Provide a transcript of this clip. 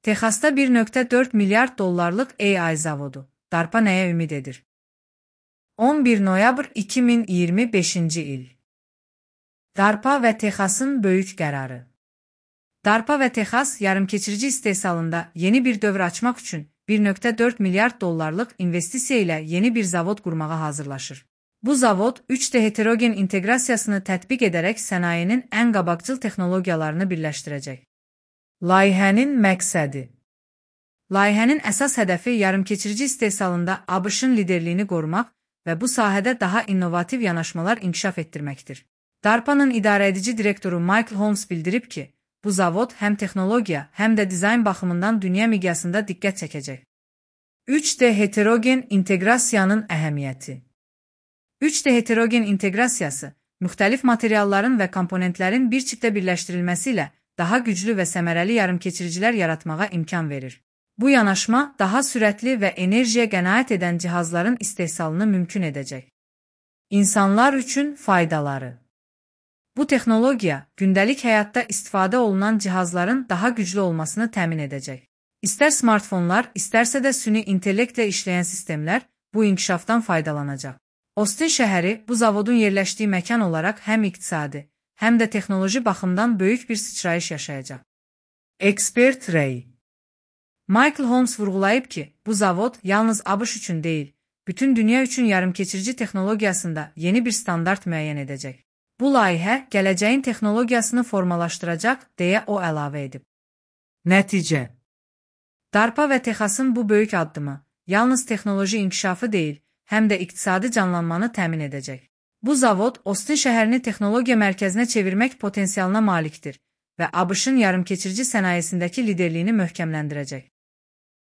Texasda 1,4 milyard dollarlıq AI zavodu. DARPA nəyə ümid edir? 11 noyabr 2025-ci il. DARPA və Texasın böyük qərarı. DARPA və Texas yarımkeçirici istehsalında yeni bir dövr açmaq üçün 1,4 milyard dollarlıq investisiya ilə yeni bir zavod qurmağa hazırlaşır. Bu zavod 3D heterogen inteqrasiyasını tətbiq edərək sənayenin ən qabaqcıl texnologiyalarını birləşdirəcək. Layihənin məqsədi. Layihənin əsas hədəfi yarımkeçirici istehsalında ABŞ-ın liderliyini qorumaq və bu sahədə daha innovativ yanaşmalar inkişaf etdirməkdir. DARPA-nın idarəedici direktoru Michael Holmes bildirib ki, bu zavod həm texnologiya, həm də dizayn baxımından dünya miqyasında diqqət çəkəcək. 3D heterogen inteqrasiyanın əhəmiyyəti. 3D heterogen inteqrasiyası, müxtəlif materialların və komponentlərin bir çipdə birləşdirilməsi ilə daha güclü və səmərəli yarımkeçiricilər yaratmağa imkan verir. Bu yanaşma daha sürətli və enerjiyə qənaət edən cihazların istehsalını mümkün edəcək. İnsanlar üçün faydaları. Bu texnologiya, gündəlik həyatda istifadə olunan cihazların daha güclü olmasını təmin edəcək. İstər smartfonlar, istərsə də süni intellektlə işləyən sistemlər bu inkişafdan faydalanacaq. Austin şəhəri bu zavodun yerləşdiyi məkan olaraq həm iqtisadi, həm də texnoloji baxımdan böyük bir sıçrayış yaşayacaq. Ekspert rəyi. Michael Holmes vurğulayıb ki, bu zavod yalnız ABŞ üçün deyil, bütün dünya üçün yarımkeçirici texnologiyasında yeni bir standart müəyyən edəcək. Bu layihə gələcəyin texnologiyasını formalaşdıracaq, deyə o əlavə edib. Nəticə. DARPA və Texasın bu böyük addımı yalnız texnoloji inkişafı deyil, həm də iqtisadi canlanmanı təmin edəcək. Bu zavod Austin şəhərini texnologiya mərkəzinə çevirmək potensialına malikdir və ABŞ-ın yarımkeçirici sənayesindəki liderliyini möhkəmləndirəcək.